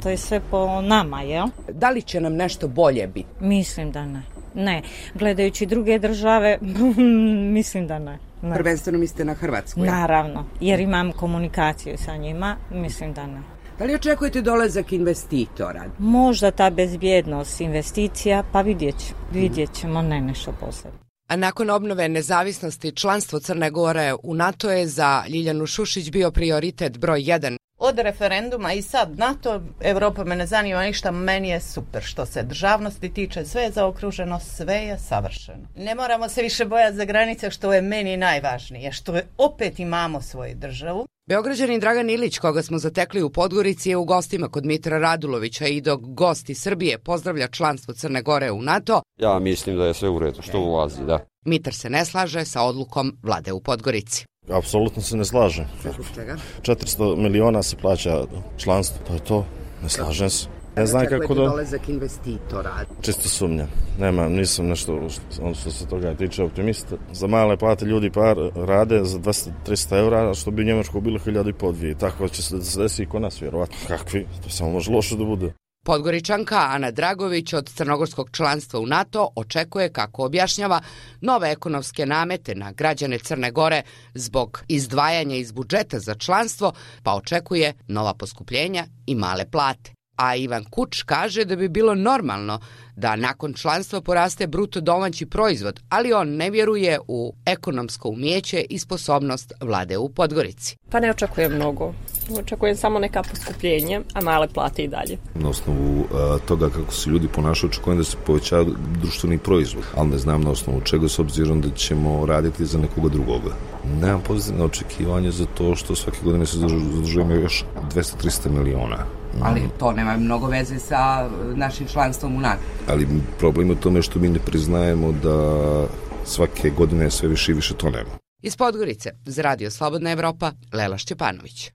To je sve po nama, jel? Da li će nam nešto bolje biti? Mislim da ne. Ne, gledajući druge države, mislim da ne. Prvenstveno mislite na Hrvatsku? Ja? Naravno, jer imam komunikaciju sa njima, mislim da ne. Da li dolazak investitora? Možda ta bezbjednost investicija, pa vidjet ćemo, ne nešto posebno. A nakon obnove nezavisnosti, članstvo Crne Gore u NATO je za Ljiljanu Šušić bio prioritet broj 1. Od referenduma i sad NATO, Evropa me ne zanima ništa, meni je super. Što se državnosti tiče, sve je zaokruženo, sve je savršeno. Ne moramo se više bojati za granice, što je meni najvažnije, što je opet imamo svoju državu. Beograđanin Dragan Ilić, koga smo zatekli u Podgorici, je u gostima kod Mitra Radulovića i dok gosti Srbije pozdravlja članstvo Crne Gore u NATO. Ja mislim da je sve u redu što ulazi, da. Mitar se ne slaže sa odlukom vlade u Podgorici. Apsolutno se ne slažem. Zbog čega? 400 miliona se plaća članstvo, to je to. Ne slažem se. Ne znam kako da... dolazak investitora? Čisto sumnjam. Nisam nešto što se toga tiče optimista. Za male plate ljudi rade za 200-300 eura, što bi u Njemačkoj bilo 1.500-2.000. Tako će se desi i kod nas, vjerovatno. Kakvi? To samo može loše da bude. Podgoričanka Ana Dragović od crnogorskog članstva u NATO očekuje, kako objašnjava, nove ekonomske namete na građane Crne Gore zbog izdvajanja iz budžeta za članstvo, pa očekuje nova poskupljenja i male plate. A Ivan Kuč kaže da bi bilo normalno da nakon članstva poraste bruto domaći proizvod, ali on ne vjeruje u ekonomsko umijeće i sposobnost vlade u Podgorici. Pa ne očekujem mnogo. Očekujem samo neka poskupljenja, a male plate i dalje. Na osnovu toga kako se ljudi ponašaju, očekujem da se poveća društveni proizvod, ali ne znam na osnovu čega, s obzirom da ćemo raditi za nekoga drugoga. Nemam pozitivne očekivanje za to što svake godine se zadužujemo još 200-300 miliona. Ali to nema mnogo veze sa našim članstvom u NATO. Ali problem je u tome što mi ne priznajemo da svake godine sve više i više tonemo. Iz Podgorice, za Radio Slobodna Evropa, Lela Šćepanović.